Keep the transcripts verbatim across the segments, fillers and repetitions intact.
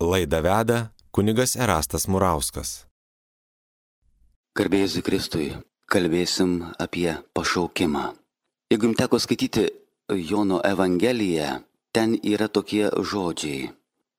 Laidą veda kunigas Erastas Murauskas. Garbė Jėzui Kristui, kalbėsim apie pašaukimą. Jeigu jums teko skaityti Jono Evangeliją, ten yra tokie žodžiai.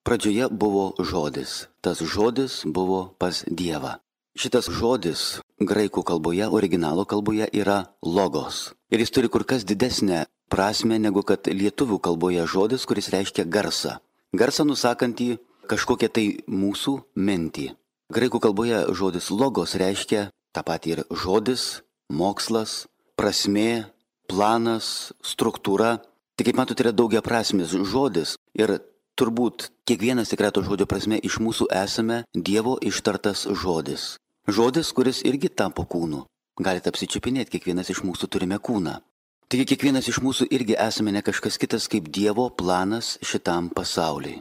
Pradžioje buvo žodis, tas žodis buvo pas Dievą. Šitas žodis graikų kalboje, originalo kalboje yra logos. Ir jis turi kur kas didesnę prasme negu kad lietuvių kalboje žodis, kuris reiškia garsą. Garsą nusakantį kažkokią tai mūsų mintį. Graikų kalboje žodis logos reiškia tą patį ir žodis, mokslas, prasmė, planas, struktūra. Tai kaip matote, yra daugia prasmis žodis ir turbūt kiekvienas tikrai to žodžio prasme iš mūsų esame Dievo ištartas žodis. Žodis, kuris irgi tapo kūnu. Galite apsičiupinėti, kiekvienas iš mūsų turime kūną. Taigi kiekvienas iš mūsų irgi esame ne kažkas kitas kaip Dievo planas šitam pasauliui.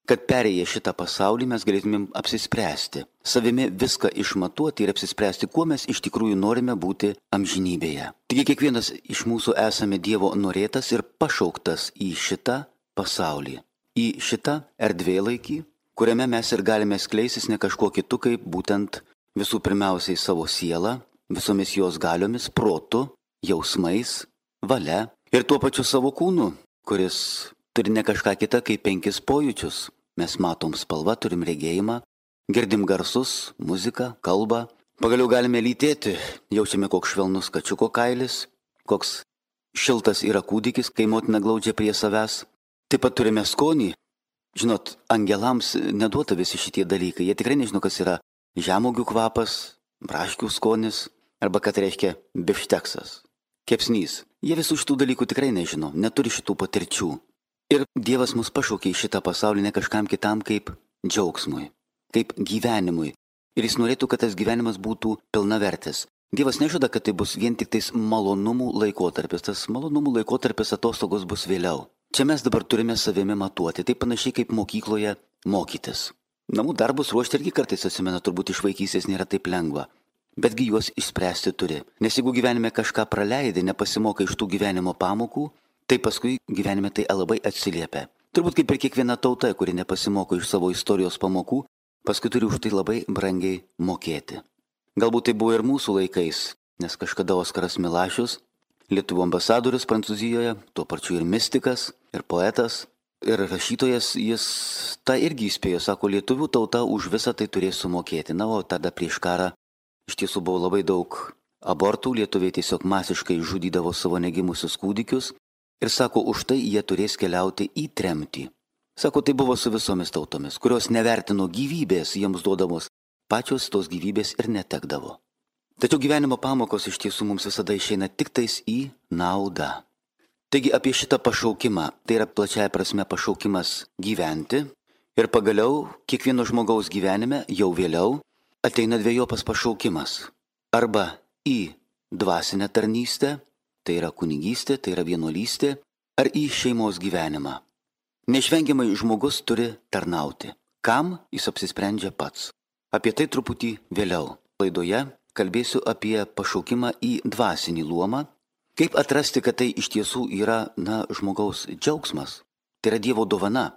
Kad perėję šitą pasaulį mes galėtumėm apsispręsti, savimi viską išmatuoti ir apsispręsti, kuo mes iš tikrųjų norime būti amžinybėje. Taigi kiekvienas iš mūsų esame Dievo norėtas ir pašauktas į šitą pasaulį, į šitą erdvėlaikį, kuriame mes ir galime skleisis ne kažkuo kitu, kaip būtent visų pirmiausiai savo sielą, visomis jos galiomis, protu, jausmais, valia ir tuo pačiu savo kūnu, kuris turi ne kažką kitą kaip penkis pojūčius. Mes matom spalvą, turim regėjimą, girdim garsus, muziką, kalbą. Pagaliau galime lytėti, jaučiame koks švelnus kačiuko kailis, koks šiltas yra kūdikis, kai motina glaudžia prie savęs. Taip pat turime skonį. Žinot, angelams neduota visi šitie dalykai. Jie tikrai nežino, kas yra žemuogių kvapas, braškių skonis, arba kad reiškia bifšteksas, kepsnys. Jie visų šitų dalykų tikrai nežino, neturi šitų patirčių. Ir Dievas mus pašaukė į šitą pasaulį ne kažkam kitam kaip džiaugsmui, kaip gyvenimui. Ir jis norėtų, kad tas gyvenimas būtų pilnavertis. Dievas nežada, kad tai bus vien tik tais malonumų laikotarpis. Tas malonumų laikotarpis atostogos bus vėliau. Čia mes dabar turime savimi matuoti. Tai panašiai kaip mokykloje mokytis. Namų darbus ruošti irgi kartais atsimena, turbūt iš vaikystės nėra taip lengva. Betgi juos išspręsti turi. Nes jeigu gyvenime kažką praleidai, nepasimokai iš tų gyvenimo pamokų, tai paskui gyvenime tai labai atsiliepia. Turbūt kaip ir kiekviena tauta, kuri nepasimoko iš savo istorijos pamokų, paskui turi už tai labai brangiai mokėti. Galbūt tai buvo ir mūsų laikais, nes kažkada Oskaras Milašius, Lietuvų ambasadorius Prancūzijoje, tuo pačiu ir mistikas, ir poetas, ir rašytojas, jis tą irgi įspėjo, sako, lietuvių tauta už visą tai turės sumokėti. Na, o tada prieš karą iš tiesų buvo labai daug abortų, lietuviai tiesiog masiškai žudydavo savo negimusius kūdikius. Ir sako, už tai jie turės keliauti į tremtį. Sako, tai buvo su visomis tautomis, kurios nevertino gyvybės jiems duodamos, pačios tos gyvybės ir netekdavo. Tačiau gyvenimo pamokos iš tiesų mums visada išeina tik tais į naudą. Taigi apie šitą pašaukimą, tai yra plačiaja prasme pašaukimas gyventi. Ir pagaliau, kiekvieno žmogaus gyvenime, jau vėliau, ateina dvejopas pašaukimas. Arba į dvasinę tarnystę, tai yra kunigystė, tai yra vienuolystė, ar į šeimos gyvenimą. Neišvengiamai žmogus turi tarnauti. Kam jis apsisprendžia pats? Apie tai truputį vėliau. Laidoje kalbėsiu apie pašaukimą į dvasinį luomą. Kaip atrasti, kad tai iš tiesų yra, na, žmogaus džiaugsmas. Tai yra Dievo dovana.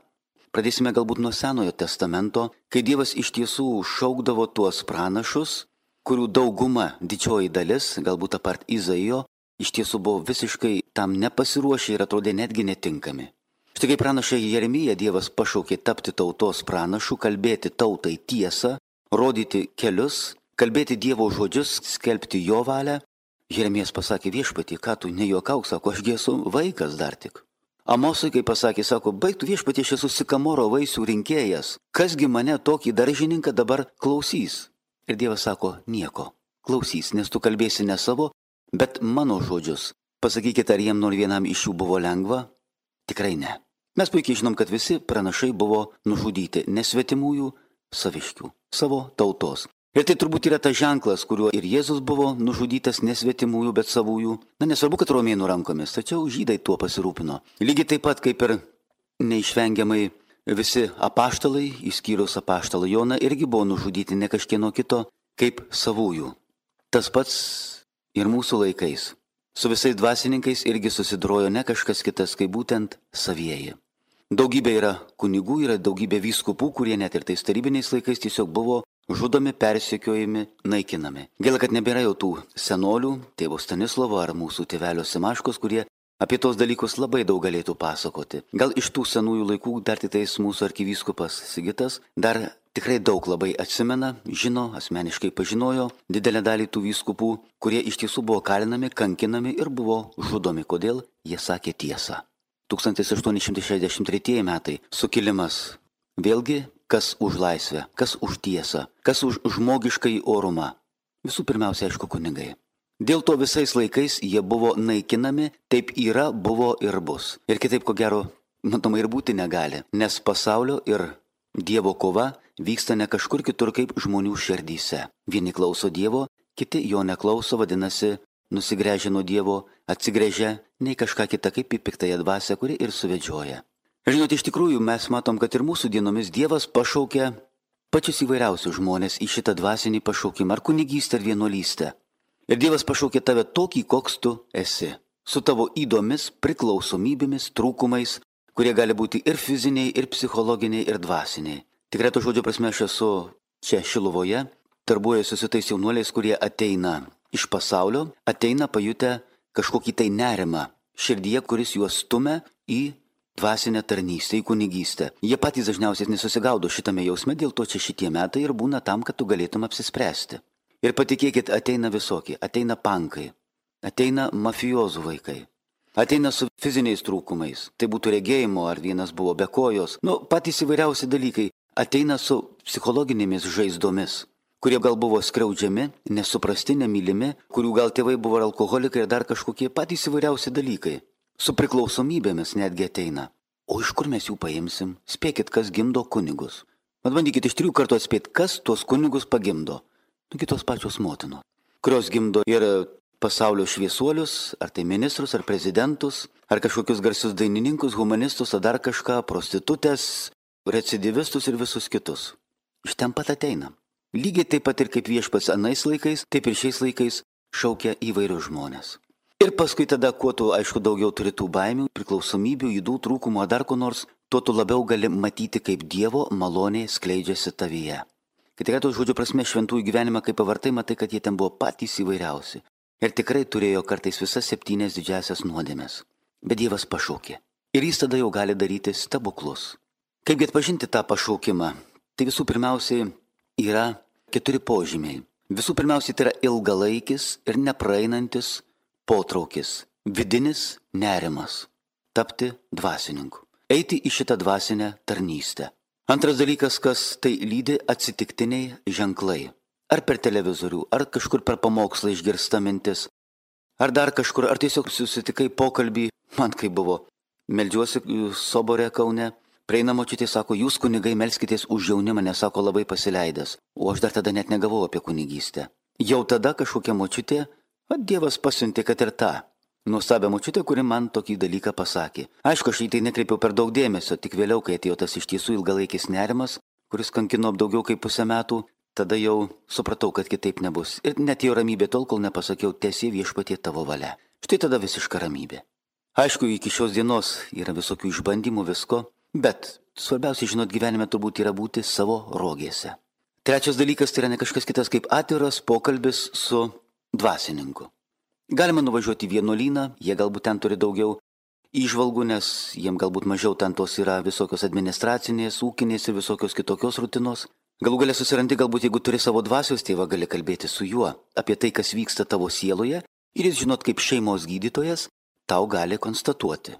Pradėsime galbūt nuo Senojo testamento, kai Dievas iš tiesų šaukdavo tuos pranašus, kurių dauguma, didžioji dalis, galbūt apart Izaijo, iš tiesų buvo visiškai tam nepasiruošę ir atrodė netgi netinkami. Štai kaip pranašą Jeremiją Dievas pašaukė tapti tautos pranašu, kalbėti tautai tiesą, rodyti kelius, kalbėti Dievo žodžius, skelbti jo valią. Jeremijas pasakė, viešpatie, ką tu nejuokauk, sako, ašgi esu vaikas dar tik. Amosui, kai pasakė, sako, baigtų viešpatie, aš esu sikamoro vaisių rinkėjas. Kasgi mane tokį daržininką dabar klausys? Ir Dievas sako, nieko, klausys, nes tu kalbėsi ne savo, bet mano žodžius. Pasakykite, ar jiem nors vienam iš jų buvo lengva? Tikrai ne. Mes puikiai žinom, kad visi pranašai buvo nužudyti nesvetimųjų, saviškių, savo tautos. Ir tai turbūt yra tas ženklas, kuriuo ir Jėzus buvo nužudytas nesvetimųjų, bet savųjų. Na, nesvarbu, kad romėnų rankomis, tačiau žydai tuo pasirūpino. Lygiai taip pat kaip ir neišvengiamai visi apaštalai, išskyrus apaštalą Joną, irgi buvo nužudyti ne kažkieno kito kaip savųjų. Tas pats ir mūsų laikais. Su visais dvasininkais irgi susidorojo ne kažkas kitas, kaip būtent savieji. Daugybė yra kunigų, yra daugybė vyskupų, kurie net ir tais tarybiniais laikais tiesiog buvo žudomi, persekiojami, naikinami. Gaila, kad nebėra jau tų senolių, tėvo Stanislovo ar mūsų tėvelio Simaškos, kurie apie tos dalykus labai daug galėtų pasakoti. Gal iš tų senųjų laikų dar tik tais mūsų arkivyskupas Sigitas dar tikrai daug labai atsimena, žino, asmeniškai pažinojo didelę dalį tų vyskupų, kurie iš tiesų buvo kalinami, kankinami ir buvo žudomi. Kodėl? Jie sakė tiesą. tūkstantis aštuoni šimtai šešiasdešimt tretieji metai sukilimas. Vėlgi, kas už laisvę, kas už tiesą, kas už žmogiškai orumą. Visų pirmiausia, aišku, kunigai. Dėl to visais laikais jie buvo naikinami, taip yra, buvo ir bus. Ir kitaip, ko gero, matomai ir būti negali, nes pasaulio ir Dievo kova vyksta ne kažkur kitur kaip žmonių širdyse. Vieni klauso Dievo, kiti jo neklauso, vadinasi, nusigręžia nuo Dievo, atsigręžia nei kažką kitą kaip į piktąją dvasią, kuri ir suvedžioja. Žinote, iš tikrųjų mes matom, kad ir mūsų dienomis Dievas pašaukia pačius įvairiausius žmonės į šitą dvasinį pašaukimą, ar kunigystę, ar vienuolystę. Ir Dievas pašaukė tave tokį, koks tu esi, su tavo įdomis, priklausomybėmis, trūkumais, kurie gali būti ir fiziniai, ir psichologiniai, ir dvasiniai. Tikrai to žodžio prasme aš esu čia Šiluvoje, darbuojuosi su tais jaunuoliais, kurie ateina iš pasaulio, ateina pajutę kažkokį tai nerimą širdyje, kuris juos stumia į dvasinę tarnystę, į kunigystę. Jie patys dažniausiai nesusigaudo šitame jausme, dėl to čia šitie metai ir būna tam, kad tu galėtum apsispręsti. Ir patikėkit, ateina visokie, ateina pankai, ateina mafijozų vaikai, ateina su fiziniais trūkumais, tai būtų regėjimo, ar vienas buvo be kojos, nu, patys įvairiausi dalykai, ateina su psichologinėmis žaizdomis, kurie gal buvo skriaudžiami, nesuprasti, nemylimi, kurių gal tėvai buvo alkoholikai ir dar kažkokie patys įvairiausi dalykai. Su priklausomybėmis netgi ateina. O iš kur mes jų paimsim? Spėkit, kas gimdo kunigus. Mat bandykit iš trijų kartų atspėti, kas tuos kunigus pagimdo. Nugi tos pačios motinos, kurios gimdo ir pasaulio šviesuolius, ar tai ministrus, ar prezidentus, ar kažkokius garsius dainininkus, humanistus, ar dar kažką, prostitutės, recidivistus ir visus kitus. Iš ten pat ateina. Lygiai taip pat ir kaip viešpats anais laikais, taip ir šiais laikais šaukia įvairius žmonės. Ir paskui tada, kuo tu, aišku, daugiau turi tų baimių, priklausomybių, ydų, trūkumų, ar dar ko nors, tuo tu labiau gali matyti, kaip Dievo malonė skleidžiasi tavyje. Kai tikrai to žodžio prasme šventųjų gyvenimą, kaip pavartai, matai, kad jie ten buvo patys įvairiausi. Ir tikrai turėjo kartais visas septynias didžiasias nuodėmes. Bet Dievas pašaukė. Ir jis tada jau gali daryti stebuklus. Kaipgi atpažinti tą pašaukimą? Tai visų pirmiausiai yra keturi požymiai. Visų pirmiausiai tai yra ilgalaikis ir nepraeinantis potraukis, vidinis nerimas, tapti dvasininku, eiti į šitą dvasinę tarnystę. Antras dalykas, kas tai lydi atsitiktiniai ženklai. Ar per televizorių, ar kažkur per pamokslą išgirsta mintis, ar dar kažkur, ar tiesiog susitikai pokalbį, man kaip buvo, meldžiuosi sobore Kaune, prieina močiutė, sako, jūs kunigai melskitės už jaunimą, nes sako labai pasileidęs, o aš dar tada net negavau apie kunigystę. Jau tada kažkokia močiutė, o Dievas pasiuntė, kad ir tą nuostabią močiutę, kuri man tokį dalyką pasakė. Aišku, aš į tai nekreipiau per daug dėmesio, tik vėliau, kai atėjo tas iš tiesų ilgalaikis nerimas, kuris kankino daugiau kaip pusę metų, tada jau supratau, kad kitaip nebus. Ir net jau ramybė tol, kol nepasakiau, tiesie viešpatie tavo valia. Štai tada visiška ramybė. Aišku, iki šios dienos yra visokių išbandymų visko, bet svarbiausia, žinot, gyvenime turbūt yra būti savo rogėse. Trečias dalykas tai yra ne kažkas kitas kaip atviras pokalbis su dvasininku. Galima nuvažiuoti į vienuolyną, jie galbūt ten turi daugiau įžvalgų, nes jiem galbūt mažiau ten tos yra visokios administracinės, ūkinės ir visokios kitokios rutinos. Galų galia susirandi, galbūt jeigu turi savo dvasios tėvą, gali kalbėti su juo apie tai, kas vyksta tavo sieloje ir jis, žinot, kaip šeimos gydytojas, tau gali konstatuoti,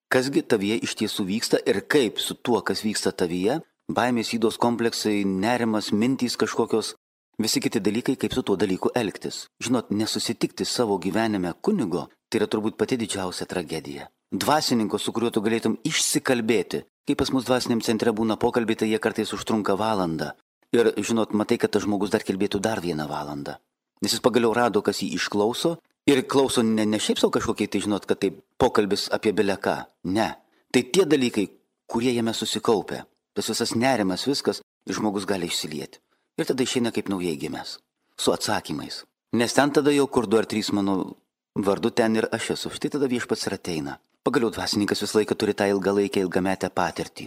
kasgi tavyje iš tiesų vyksta ir kaip su tuo, kas vyksta tavyje, baimės, ydos kompleksai, nerimas, mintys kažkokios, visi kiti dalykai, kaip su tuo dalyku elgtis. Žinot, nesusitikti savo gyvenime kunigo, tai yra turbūt pati didžiausia tragedija. Dvasininko, su kuriuo tu galėtum išsikalbėti. Kai pas mus dvasiniam centre būna pokalbiai, tai jie kartais užtrunka valandą. Ir, žinot, matai, kad tas žmogus dar kalbėtų dar vieną valandą. Nes jis pagaliau rado, kas jį išklauso. Ir klauso ne, ne šiaip savo kažkokiai, tai žinot, kad tai pokalbis apie beleką. Ne. Tai tie dalykai, kurie jame susikaupia. Tas visas nerimas, viskas, ir žmogus gali išsilieti. Ir tada išeina kaip naujai gimęs. Su atsakymais. Nes ten tada jau kur du ar trys mano vardu, ten ir aš esu. Štai tada viešpats ir ateina. Pagaliau dvasininkas visą laiką turi tą ilgalaikę, ilgametę patirtį.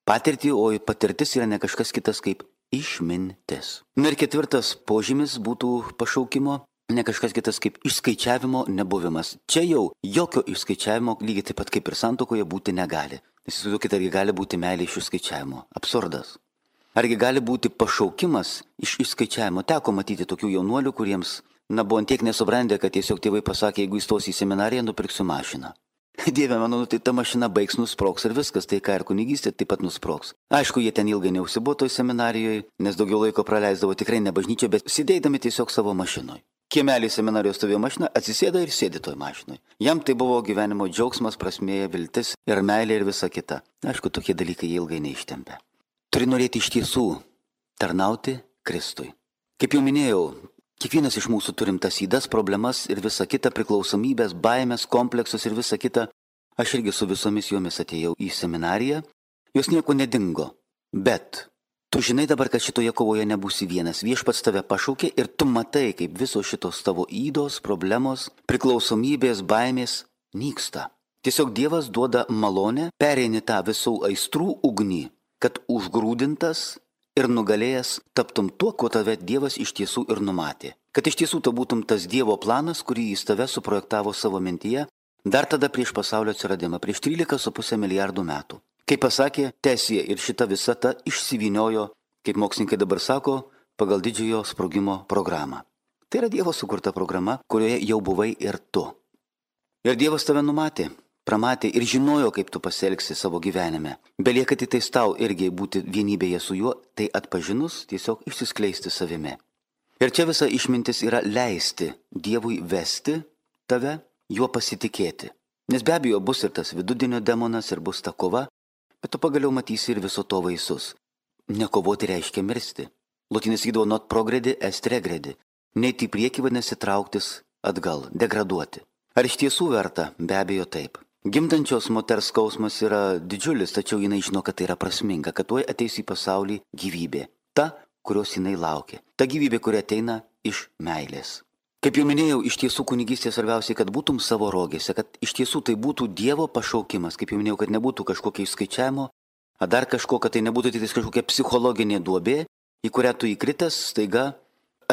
Patirtį, o patirtis yra ne kažkas kitas kaip išmintis. Na ir ketvirtas požymis būtų pašaukimo, ne kažkas kitas kaip išskaičiavimo nebuvimas. Čia jau jokio išskaičiavimo lygiai taip pat kaip ir santuokoje būti negali. Įsivaizduokite, argi gali būti meilė iš išskaičiavimo. Absurdas. Argi gali būti pašaukimas iš išskaičiavimo. Teko matyti tokių jaunuolių, kuriems, na, buvo antiek nesubrandę, kad tiesiog tėvai pasakė, jeigu įstosi į seminariją, nupirksiu mašiną. Dieve mano, tai ta mašina baigs, nusproks ir viskas, tai ką ir kunigystė taip pat nusproks. Aišku, jie ten ilgai neužsibuvo toj seminarijoje, nes daugiau laiko praleisdavo tikrai ne bažnyčia, bet sėdėdami tiesiog savo mašinoje. Kiemelį seminarijos stovėjo mašina, atsisėda ir sėdi toj mašinoje. Jam tai buvo gyvenimo džiaugsmas, prasmė, viltis ir meilė ir visa kita. Aišku, tokie dalykai jie ilgai neištempė. Turi norėti iš tiesų tarnauti Kristui. Kaip jau minėjau, kiekvienas iš mūsų turim tas ydas, problemas ir visa kita, priklausomybės, baimės, kompleksus ir visa kita. Aš irgi su visomis jomis atėjau į seminariją, jos nieko nedingo. Bet tu žinai dabar, kad šitoje kovoje nebūsi vienas. Viešpats tave pašaukė ir tu matai, kaip visos šitos tavo ydos, problemos, priklausomybės, baimės nyksta. Tiesiog Dievas duoda malonę, pereini tą visų aistrų ugnį, kad užgrūdintas ir nugalėjęs taptum tuo, kuo tave Dievas iš tiesų ir numatė. Kad iš tiesų to būtum tas Dievo planas, kurį jis tave suprojektavo savo mintyje, dar tada prieš pasaulio atsiradimą, prieš trylika su pusė milijardų metų. Kaip pasakė, Tesija ir šita visata išsivyniojo, kaip mokslininkai dabar sako, pagal didžiojo sprogimo programą. Tai yra Dievo sukurta programa, kurioje jau buvai ir tu. Ir Dievas tave numatė, pramatė ir žinojo, kaip tu pasielgsi savo gyvenime. Belieka tik tais tau irgi būti vienybėje su juo, tai atpažinus tiesiog išsiskleisti savimi. Ir čia visa išmintis yra leisti Dievui vesti tave, juo pasitikėti. Nes be abejo bus ir tas vidudienio demonas, ir bus ta kova, bet tu pagaliau matysi ir viso to vaisius. Nekovoti reiškia mirsti. Lotynis sakydavo not progredi est regredi. Neiti į priekį vadinasi trauktis atgal, degraduoti. Ar iš tiesų verta? Be abejo taip. Gimdančios moters skausmas yra didžiulis, tačiau jinai žino, kad tai yra prasminga, kad tuoj ateis į pasaulį gyvybė. Ta, kurios jinai laukia. Ta gyvybė, kuri ateina iš meilės. Kaip jau minėjau, iš tiesų kunigystė svarbiausiai, kad būtum savo rogėse, kad iš tiesų tai būtų Dievo pašaukimas. Kaip jau minėjau, kad nebūtų kažkokio išskaičiavimo, ar dar kažko, kad tai nebūtų tik kažkokia psichologinė duobė, į kurią tu įkritęs staiga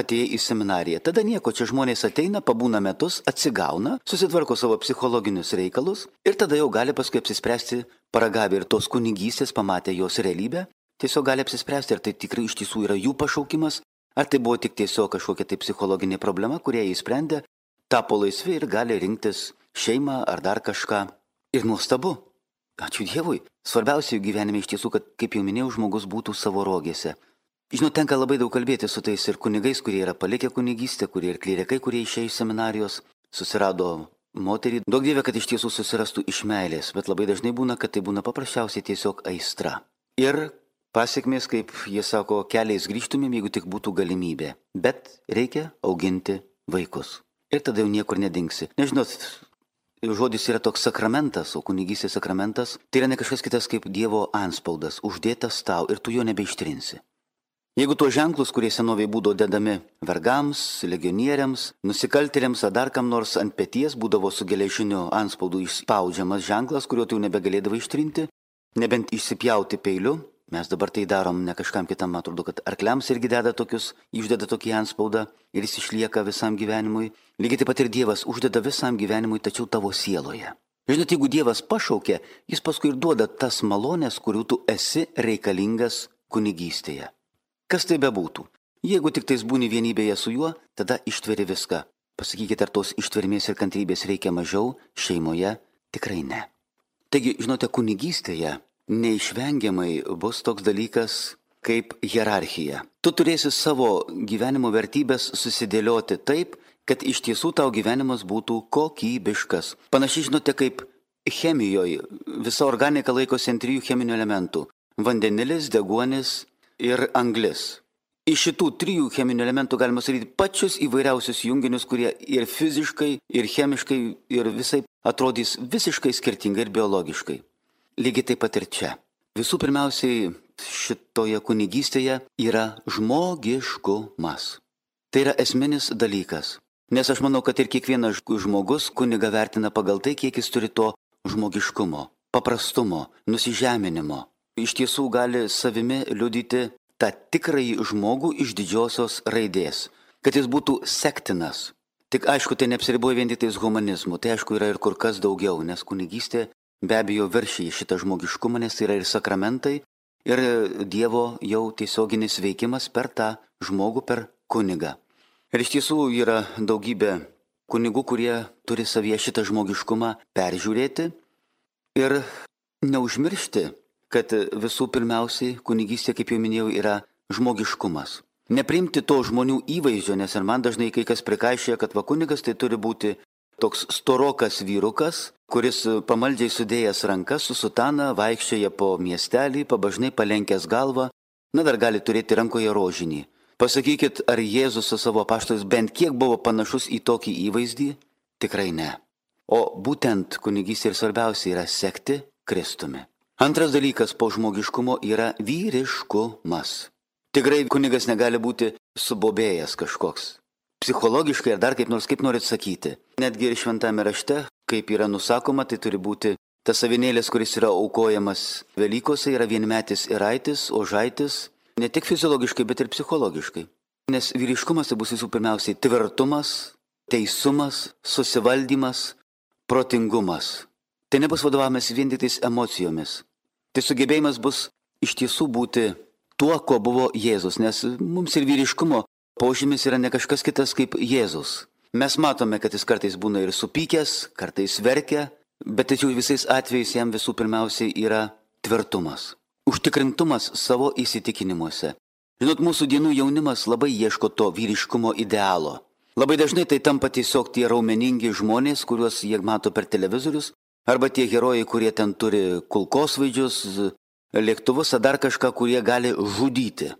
atėjai į seminariją. Tada nieko, čia žmonės ateina, pabūna metus, atsigauna, susitvarko savo psichologinius reikalus ir tada jau gali paskui apsispręsti, paragavę ir tos kunigystės, pamatę jos realybę, tiesiog gali apsispręsti, ar tai tikrai iš tiesų yra jų pašaukimas, ar tai buvo tik tiesiog kažkokia tai psichologinė problema, kurią jie įsprendė, tapo laisvi ir gali rinktis šeimą ar dar kažką. Ir nuostabu. Ačiū Dievui. Svarbiausia jų gyvenime iš tiesų, kad, kaip jau minėjau, žmogus būtų savo rogėse. Žinau, tenka labai daug kalbėti su tais ir kunigais, kurie yra palikę kunigystę, kurie ir klerikai, kurie išėjo iš seminarijos, susirado moterį. Daug Dieve, kad iš tiesų susirastų iš meilės, bet labai dažnai būna, kad tai būna paprasčiausiai tiesiog aistra. Ir pasiekmės, kaip jie sako, keliais grįžtumėm, jeigu tik būtų galimybė. Bet reikia auginti vaikus. Ir tada jau niekur nedingsi. Nežinot, žodis yra toks sakramentas, o kunigystės sakramentas, tai yra ne kažkas kitas kaip Dievo antspaudas, uždėtas tau ir tu jo nebeištrinsi. Jeigu tuos ženklus, kurie senovėje būdavo dedami vergams, legionieriams, nusikaltėliams ar dar kam nors ant peties būdavo su geležiniu antspaudu išspaudžiamas ženklas, kurio tu nebegalėdavo ištrinti, nebent išsipjauti peiliu, mes dabar tai darom ne kažkam kitam, atrodo, kad arkliams irgi deda tokius, uždeda tokį antspaudą ir jis išlieka visam gyvenimui. Lygiai taip pat ir Dievas uždeda visam gyvenimui, tačiau tavo sieloje. Žinot, jeigu Dievas pašaukia, jis paskui ir duoda tas malonės, kurių tu esi reikalingas kunigystėje. Kas tai bebūtų? Jeigu tik tais būni vienybėje su juo, tada ištveri viską. Pasakykite, ar tos ištvermės ir kantrybės reikia mažiau, šeimoje tikrai ne. Taigi, žinote, kunigystėje neišvengiamai bus toks dalykas kaip hierarchija. Tu turėsi savo gyvenimo vertybės susidėlioti taip, kad iš tiesų tau gyvenimas būtų kokybiškas. Panašiai, žinote, kaip chemijoje visa organika laikosi ant trijų cheminių elementų – vandenilis, deguonis ir anglis. Iš šitų trijų cheminių elementų galima sakyti pačius įvairiausius junginius, kurie ir fiziškai, ir chemiškai, ir visai atrodys visiškai skirtingai ir biologiškai. Lygiai taip pat ir čia. Visų pirmiausiai šitoje kunigystėje yra žmogiškumas. Tai yra esminis dalykas. Nes aš manau, kad ir kiekvienas žmogus kunigą vertina pagal tai, kiek jis turi to žmogiškumo, paprastumo, nusižeminimo. Iš tiesų gali savimi liudyti tą tikrąjį žmogų iš didžiosios raidės, kad jis būtų sektinas. Tik aišku, tai neapsiriboja vien tik tais humanizmu, tai aišku yra ir kur kas daugiau, nes kunigystė be abejo viršyja šitą žmogiškumą, nes tai yra ir sakramentai, ir Dievo jau tiesioginis veikimas per tą žmogų, per kunigą. Ir iš tiesų yra daugybė kunigų, kurie turi savyje šitą žmogiškumą peržiūrėti ir neužmiršti, kad visų pirmiausiai kunigystė, kaip jau minėjau, yra žmogiškumas. Nepriimti to žmonių įvaizdžio, nes ir man dažnai kai kas prikaišėja, kad va kunigas tai turi būti toks storokas vyrukas, kuris pamaldžiai sudėjęs rankas su sutana vaikščioja po miestelį, pabažnai palenkęs galvą, na dar gali turėti rankoje rožinį. Pasakykit, ar Jėzus su savo apaštalais bent kiek buvo panašus į tokį įvaizdį? Tikrai ne. O būtent kunigystė ir svarbiausia yra sekti Kristumi. Antras dalykas po žmogiškumo yra vyriškumas. Tikrai kunigas negali būti subobėjęs kažkoks. Psichologiškai ar dar kaip nors kaip norit sakyti. Netgi ir šventame rašte, kaip yra nusakoma, tai turi būti tas avinėlis, kuris yra aukojamas Velykose, yra vienmetis iraitis, ožaitis. Ne tik fiziologiškai, bet ir psichologiškai. Nes vyriškumas tai bus visų pirmiausiai tvirtumas, teisumas, susivaldymas, protingumas. Tai nebus vadovavimas vien tik tais emocijomis. Tai sugebėjimas bus iš tiesų būti tuo, kuo buvo Jėzus, nes mums ir vyriškumo požymis yra ne kažkas kitas kaip Jėzus. Mes matome, kad jis kartais būna ir supykęs, kartais verkia, bet tačiau visais atvejais jam visų pirmiausiai yra tvirtumas. Užtikrintumas savo įsitikinimuose. Žinot, mūsų dienų jaunimas labai ieško to vyriškumo idealo. Labai dažnai tai tampa tiesiog tie raumeningi žmonės, kuriuos jie mato per televizorius, arba tie herojai, kurie ten turi kulkosvaidžius, lėktuvus, ar dar kažką, kurie gali žudyti.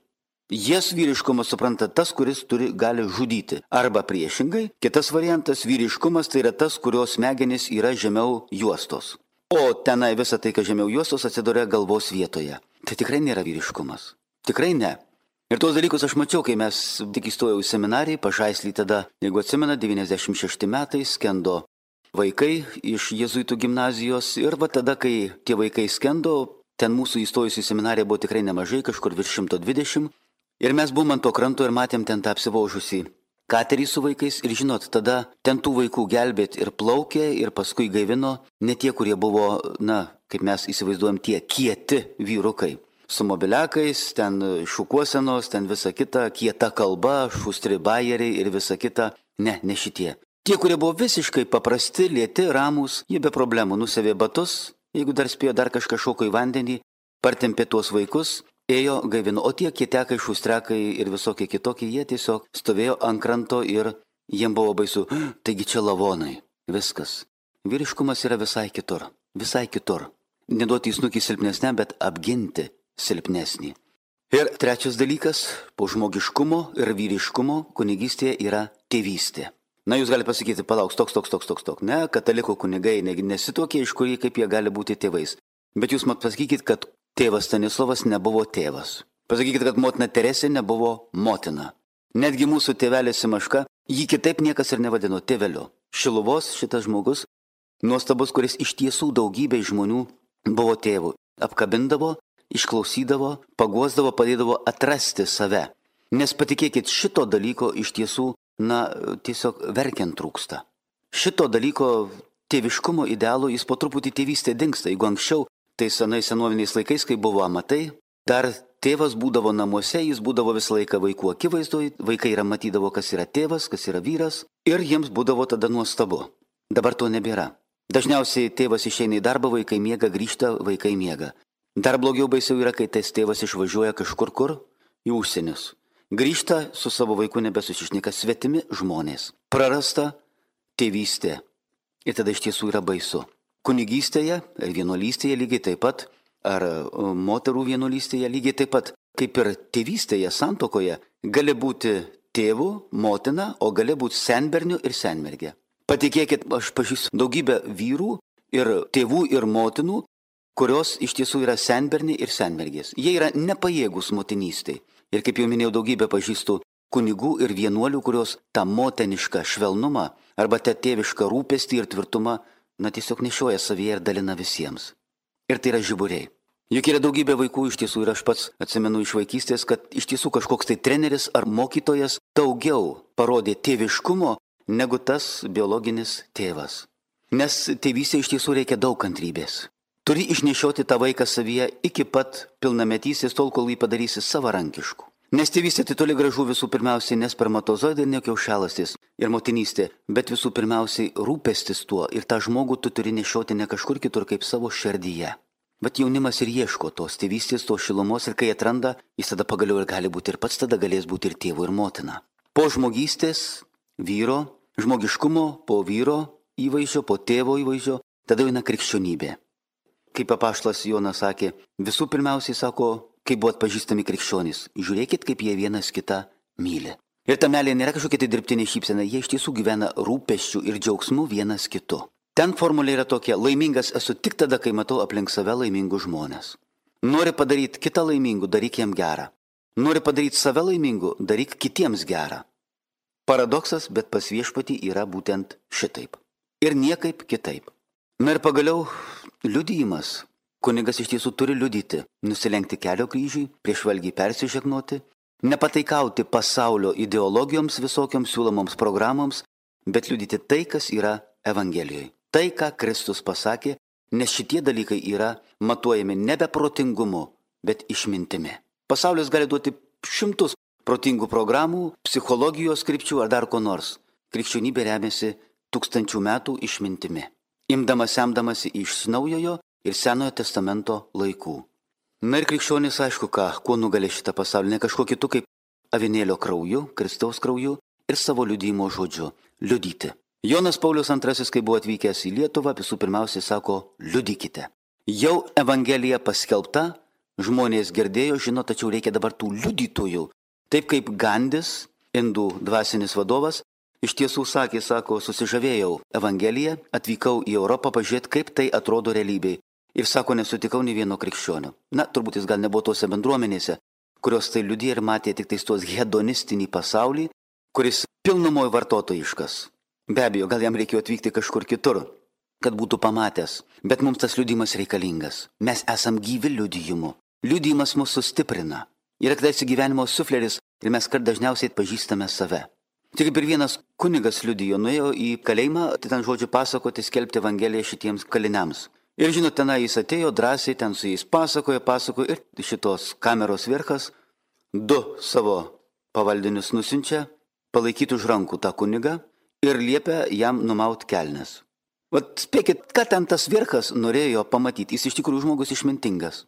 Jas vyriškumas supranta tas, kuris turi, gali žudyti. Arba priešingai, kitas variantas vyriškumas tai yra tas, kurios smegenys yra žemiau juostos. O tenai visą tai, kas žemiau juostos, atsiduria galvos vietoje. Tai tikrai nėra vyriškumas. Tikrai ne. Ir tos dalykus aš mačiau, kai mes tik įstojau į seminariją, Pažaislį tada, jeigu atsimena, devyniasdešimt šešti metai skendo vaikai iš jėzuitų gimnazijos. Ir va tada, kai tie vaikai skendo, ten mūsų įstojusių į seminariją buvo tikrai nemažai, kažkur virš šimto dvidešimt. Ir mes buvom ant to kranto ir matėm ten tą apsivožusį katerį su vaikais. Ir žinot, tada ten tų vaikų gelbėt ir plaukė, ir paskui gaivino ne tie, kurie buvo, na, kaip mes įsivaizduojam, tie kieti vyrukai. Su mobiliakais, ten šukuosenos, ten visa kita, kieta kalba, šustri bajeriai ir visa kita. Ne, ne šitie. Tie, kurie buvo visiškai paprasti, lėti, ramūs, jie be problemų nusavė batus, jeigu dar spėjo, dar kažką šoko į vandenį, partempė tuos vaikus, ėjo gaivino. O tie kietekai, šustrekai ir visokie kitokie, jie tiesiog stovėjo ant kranto ir jiem buvo baisu. Taigi čia lavonai. Viskas. Vyriškumas yra visai kitur. Visai kitur. Neduoti įsnukį silpnesnę, bet apginti silpnesnį. Ir trečias dalykas, po žmogiškumo ir vyriškumo kunigystėje yra tėvystė. Na, jūs galite pasakyti, palauks, toks, toks, toks, toks, toks. Ne, katalikų kunigai nesitokie, iš kurį kaip jie gali būti tėvais. Bet jūs mat pasakykit, kad tėvas Stanislovas nebuvo tėvas. Pasakykit, kad motina Teresė nebuvo motina. Netgi mūsų tėvelė Simaška, jį kitaip niekas ir nevadino tėveliu. Šiluvos šitas žmogus, nuostabus, kuris iš tiesų daugybė žmonių buvo tėvu. Apkabindavo, išklausydavo, paguosdavo, padėdavo atrasti save. Nes patikėkit, šito dalyko iš tiesų, na, tiesiog verkiant trūksta. Šito dalyko tėviškumo idealo jis po truputį tėvystė dingsta. Jeigu anksčiau, tai senai senoviniais laikais, kai buvo amatai, dar tėvas būdavo namuose, jis būdavo visą laiką vaikų akivaizdoj, vaikai yra matydavo, kas yra tėvas, kas yra vyras, ir jiems būdavo tada nuostabu. Dabar to nebėra. Dažniausiai tėvas išeina į darbą, vaikai miega, grįžta, vaikai miega. Dar blogiau baisiau yra, kai tas tėvas išvažiuoja kažkur kur į užsienius. Grįžta su savo vaiku nebesusišnika, svetimi žmonės. Prarasta tėvystė. Ir tada iš tiesų yra baisu. Kunigystėje ir vienuolystėje lygiai taip pat, ar moterų vienuolystėje lygiai taip pat, kaip ir tėvystėje, santuokoje, gali būti tėvų, motina, o gali būti senbernių ir senmergė. Patikėkit, aš pažįstu daugybę vyrų ir tėvų ir motinų, kurios iš tiesų yra senberniai ir senmergės. Jie yra nepajėgus motinystėj. Ir kaip jau minėjau, daugybę pažįstu kunigų ir vienuolių, kurios tą motenišką švelnumą arba tą tėvišką rūpestį ir tvirtumą na tiesiog nešioja savyje ir dalina visiems. Ir tai yra žiburiai. Juk yra daugybė vaikų iš tiesų ir aš pats atsimenu iš vaikystės, kad iš tiesų kažkoks tai treneris ar mokytojas daugiau parodė tėviškumo negu tas biologinis tėvas. Nes tėvystė iš tiesų reikia daug kantrybės. Turi išnešioti tą vaiką savyje iki pat pilnametystės, tol kol jį padarysi savarankišku. Nes tėvystė tai toli gražu visų pirmiausiai ne spermatozoidai ir ne kiaušialąstis ir motinystė, bet visų pirmiausiai rūpestis tuo ir tą žmogų tu turi nešioti ne kažkur kitur kaip savo širdyje. Bet jaunimas ir ieško tos tėvystės, tos šilumos ir kai atranda, jis tada pagaliau ir gali būti ir pats tada galės būti ir tėvu ir motina. Po žmogystės, vyro, žmogiškumo, po vyro įvaizdžio, po tėvo įvaizdžio, tada eina krikščionybė. Kaip apaštalas Jonas sakė, visų pirmiausiai sako, kaip buvo atpažįstami krikščionys, žiūrėkit, kaip jie vienas kitą myli. Ir ta meilė nėra kažkokia tai dirbtinė šypsena, jie iš tiesų gyvena rūpesčių ir džiaugsmų vienas kitu. Ten formulė yra tokia, laimingas esu tik tada, kai matau aplink save laimingus žmonės. Nori padaryti kitą laimingų, daryk jam gerą. Nori padaryti save laimingų, daryk kitiems gerą. Paradoksas, bet pas viešpatį yra būtent šitaip. Ir niekaip kitaip. Na ir pagaliau liudijimas. Kunigas iš tiesų turi liudyti, nusilenkti kelio kryžiui, prieš valgį persižegnoti, nepataikauti pasaulio ideologijoms visokioms siūlomoms programoms, bet liudyti tai, kas yra Evangelijoje. Tai, ką Kristus pasakė, nes šitie dalykai yra matuojami nebe protingumu, bet išmintimi. Pasaulis gali duoti šimtus protingų programų, psichologijos krypčių ar dar ko nors. Krikščionybė remiasi tūkstančių metų išmintimi, imdamas semdamasi iš naujojo ir senojo testamento laikų. Na ir krikščionis aišku ką, kuo nugali šitą pasaulį, ne kažkuo kitu kaip avinėlio krauju, Kristaus krauju ir savo liudijimo žodžiu – liudyti. Jonas Paulius antrasis, kai buvo atvykęs į Lietuvą, visų pirmiausiai sako, liudykite. Jau Evangelija paskelbta, žmonės girdėjo, žino, tačiau reikia dabar tų liudytojų. Taip kaip Gandis, indų dvasinis vadovas, iš tiesų sakė, sako, susižavėjau Evangeliją, atvykau į Europą pažiūrėti, kaip tai atrodo realybėj. Ir sako, nesutikau nei vieno krikščionio. Na, turbūt jis gal nebuvo tose bendruomenėse, kurios tai liudija ir matė tik tais tos hedonistinį pasaulį, kuris pilnumoje vartotojiškas. Be abejo, gal jam reikėjo atvykti kažkur kitur, kad būtų pamatęs, bet mums tas liudijimas reikalingas. Mes esam gyvi liudijimu. Liudijimas mus sustiprina. Yra kadaise gyvenimo sufleris ir mes kart dažniausiai atpažįstame save. Tik kaip ir vienas kunigas liudijo, nuėjo į kalėjimą, tai ten žodžiu pasakoti, skelbti Evangeliją šitiems kaliniams. Ir žinot, tenai jis atėjo drąsiai, ten su jais pasakojo, pasakojo ir šitos kameros verchas du savo pavaldinius nusiunčia palaikyti už rankų tą kunigą ir liepia jam numaut kelnes. Vat spėkit, ką ten tas verchas norėjo pamatyti. Jis iš tikrųjų žmogus išmintingas.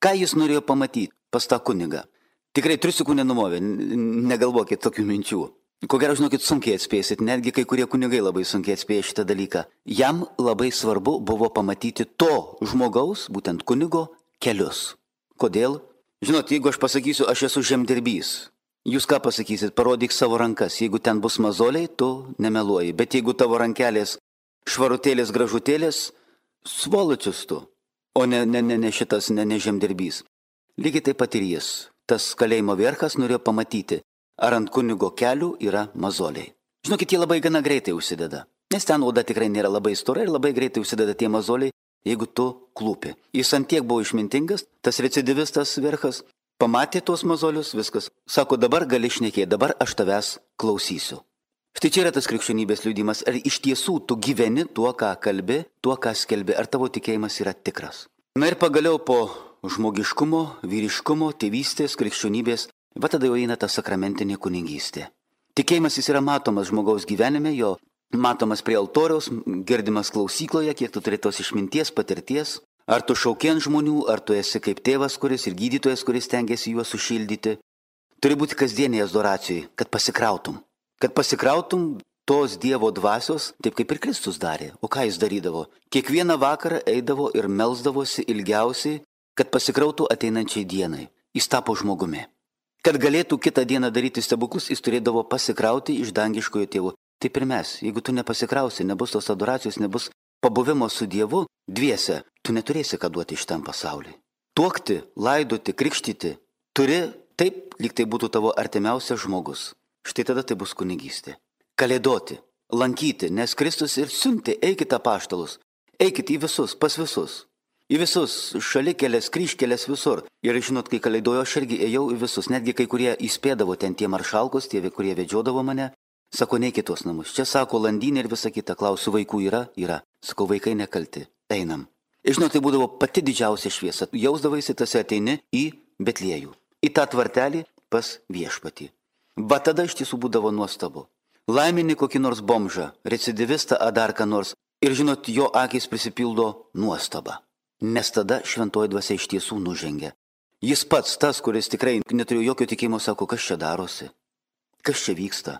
Ką jis norėjo pamatyti pas tą kunigą? Tikrai triusikų nenumovė, negalvokit tokių minčių. Ko gero, žinokit, sunkiai atspėsit, netgi kai kurie kunigai labai sunkiai atspėja šitą dalyką. Jam labai svarbu buvo pamatyti to žmogaus, būtent kunigo, kelius. Kodėl? Žinot, jeigu aš pasakysiu, aš esu žemdirbys, jūs ką pasakysit, parodyk savo rankas, jeigu ten bus mazoliai, tu nemeluoji, bet jeigu tavo rankelės švarutėlės, gražutėlės, svoločius tu, o ne, ne, ne, ne šitas, ne, ne žemdirbys. Lygiai taip pat ir jis, tas kalėjimo verchas norėjo pamatyti, ar ant kunigo kelių yra mazoliai. Žinokit, jie labai gana greitai užsideda, nes ten oda tikrai nėra labai stora ir labai greitai užsideda tie mazoliai, jeigu tu klūpi. Jis ant tiek buvo išmintingas, tas recidivistas verchas, pamatė tuos mazolius, viskas. Sako, dabar gali šnekėti, dabar aš tavęs klausysiu. Štai čia yra tas krikščionybės liudijimas. Ar iš tiesų tu gyveni tuo, ką kalbi, tuo, ką skelbi, ar tavo tikėjimas yra tikras. Na ir pagaliau po žmogiškumo, vyriškumo, tėvystės, krikščionybės, va tada jau eina ta sakramentinė kunigystė. Tikėjimas jis yra matomas žmogaus gyvenime, jo matomas prie altoriaus, girdimas klausykloje, kiek tu turi tos išminties, patirties. Ar tu šauki ant žmonių, ar tu esi kaip tėvas, kuris ir gydytojas, kuris tengiasi juos sušildyti. Turi būti kasdienėje adoracijai, kad pasikrautum. Kad pasikrautum tos Dievo dvasios, taip kaip ir Kristus darė. O ką jis darydavo? Kiekvieną vakarą eidavo ir melsdavosi ilgiausiai, kad pasikrautų ateinančiai dienai. Jis tapo žmogumi. Kad galėtų kitą dieną daryti stebuklus, jis turėdavo pasikrauti iš dangiškojo tėvo. Taip ir mes, jeigu tu nepasikrausi, nebus tos adoracijos, nebus pabuvimo su Dievu, dviese, tu neturėsi ką duoti šitam pasauliui. Tuokti, laidoti, krikštyti, turi taip, lyg tai būtų tavo artimiausias žmogus. Štai tada tai bus kunigystė. Kalėdoti, lankyti, nes Kristus ir siuntė, eikite apaštalus. Eikit į visus, pas visus. Į visus, šalikelės, kryžkelės visur. Ir žinot, kai kalėdojo, aš irgi ėjau į visus. Netgi kai kurie įspėdavo ten tie maršalkos, tie, kurie vedžiodavo mane. Sako, neik į tuos namus. Čia sako, landynė ir visa kita. Klausiu, vaikų yra? Yra. Sakau, vaikai nekalti. Einam. Ir žinot, tai būdavo pati didžiausia šviesa. Jausdavaisi, tas ateini į Betliejų. Į tą tvartelį pas viešpatį. Va tada iš tiesų būdavo nuostabu. Laimini kokį nors bomžą, recidivistą ar dar ką nors. Ir žinot, jo akis prisipildo nuostaba. Nes tada šventoji dvasia iš tiesų nužengia. Jis pats, tas, kuris tikrai neturėjo jokio tikėjimo, sako, kas čia darosi? Kas čia vyksta?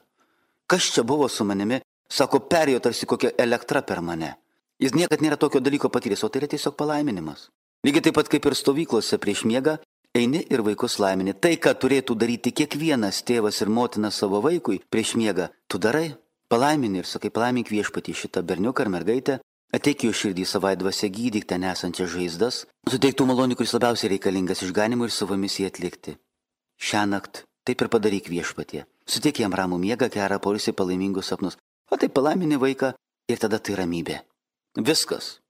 Kas čia buvo su manimi? Sako, perėjo tarsi kokia elektra per mane. Jis niekad nėra tokio dalyko patyręs, o tai yra tiesiog palaiminimas. Lygiai taip pat kaip ir stovyklose prieš miegą, eini ir vaikus laimini. Tai, ką turėtų daryti kiekvienas tėvas ir motina savo vaikui prieš miegą, tu darai, palaimini ir sakai, palaimink viešpatį šitą berniuką ar mergaitę. Ateik jo širdį savai dvasia, gydyk ten esančias žaizdas, suteik tų malonių, kuris labiausiai reikalingas išganimui ir savo misiją atlikti. Šiąnakt taip ir padaryk viešpatie. Suteik jam ramų miegą, gerą poilsį, palaimingus sapnus. O tai palaimini vaiką ir tada tai ramybė. Viskas.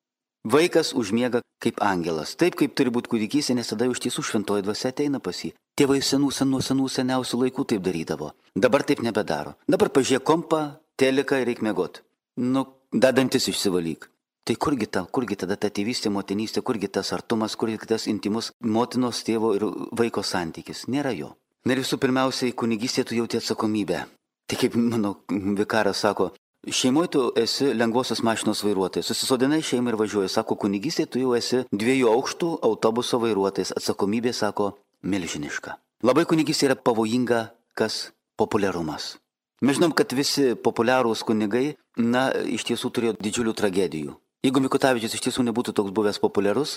Vaikas užmiega kaip angelas. Taip, kaip turi būti kūdikystė, nes tada iš tiesų šventoji dvasia ateina pas jį. Tėvai senų, senų, senų, seniausių laikų taip darydavo. Dabar taip nebedaro. Dabar pažiūrėk kompą, teliką ir reik miegot. Nu, dadantis išsivalyk. Tai kurgi ta, kurgi tada ta tėvystė, motinystė, kurgi tas artumas, kurgi tas intimus motinos, tėvo ir vaiko santykis? Nėra jo. Na ir visų pirmiausiai, kunigystė tu jauti atsakomybę. Tai kaip mano vikaras sako, šeimoje tu esi lengvosios mašinos vairuotojas, susisodinai šeimą ir važiuoji. Sako, kunigystė tu jau esi dviejų aukštų autobuso vairuotojas, atsakomybė, sako, milžiniška. Labai kunigystė yra pavojinga, kas populiarumas. Mes žinom, kad visi populiarūs kunigai, na, iš tiesų turėjo didžiulių tragedijų. Jeigu Mikutavičius iš tiesų nebūtų toks buvęs populiarus,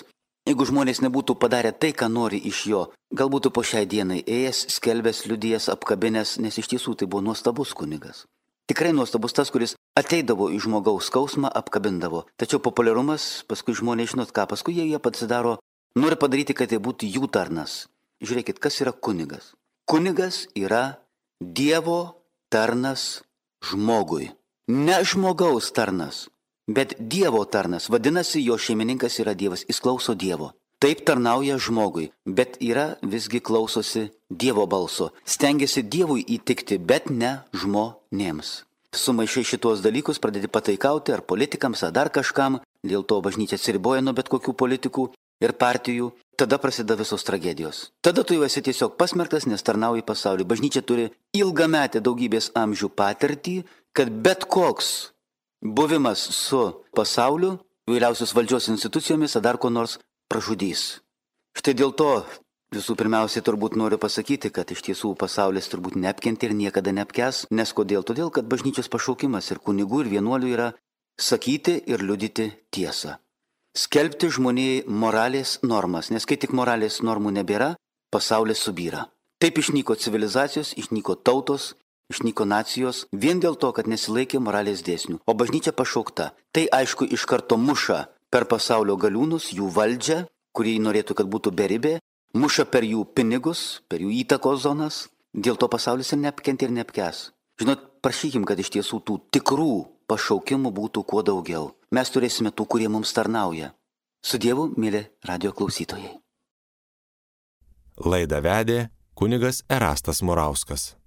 jeigu žmonės nebūtų padarę tai, ką nori iš jo, gal būtų po šiai dienai ėjęs, skelbęs, liudijęs, apkabinęs, nes iš tiesų tai buvo nuostabus kunigas. Tikrai nuostabus tas, kuris ateidavo į žmogaus skausmą, apkabindavo. Tačiau populiarumas, paskui žmonės žinot ką, paskui jie jie pasidaro, nori padaryti, kad tai būtų jų tarnas. Žiūrėkit, kas yra kunigas. Kunigas yra Dievo tarnas žmogui. Ne žmogaus tarnas, bet Dievo tarnas. Vadinasi, jo šeimininkas yra Dievas, jis klauso Dievo. Taip tarnauja žmogui, bet yra visgi klausosi Dievo balso. Stengiasi Dievui įtikti, bet ne žmonėms. Sumaišai šitos dalykus, pradedi pataikauti ar politikams, ar dar kažkam, dėl to bažnyčia atsiriboja nuo bet kokių politikų ir partijų. Tada prasideda visos tragedijos. Tada tu jau esi tiesiog pasmerktas, nes tarnauji pasaulį. Bažnyčia turi ilgametę daugybės amžių patirtį, kad bet koks buvimas su pasauliu, įvairiausios valdžios institucijomis, ar dar ko nors pražudys. Štai dėl to visų pirmiausiai turbūt noriu pasakyti, kad iš tiesų pasaulis turbūt neapkentė ir niekada neapkęs. Nes kodėl? Todėl, kad bažnyčios pašaukimas ir kunigų ir vienuolių yra sakyti ir liudyti tiesą. Skelbti žmonijai moralės normas, nes kai tik moralės normų nebėra, pasaulis subyra. Taip išnyko civilizacijos, išnyko tautos, išnyko nacijos, vien dėl to, kad nesilaikė moralės dėsnių. O bažnyčia pašaukta. Tai aišku iš karto muša per pasaulio galiūnus, jų valdžią, kurie norėtų, kad būtų beribė, muša per jų pinigus, per jų įtakos zonas. Dėl to pasaulis ir neapkentė ir neapkęs. Žinot, prašykim, kad iš tiesų tų tikrų pašaukimų būtų kuo daugiau. Mes turėsime tų, kurie mums tarnauja. Su Dievu, mėly radijo klausytojai. Laidą vedė kunigas Erastas Murauskas.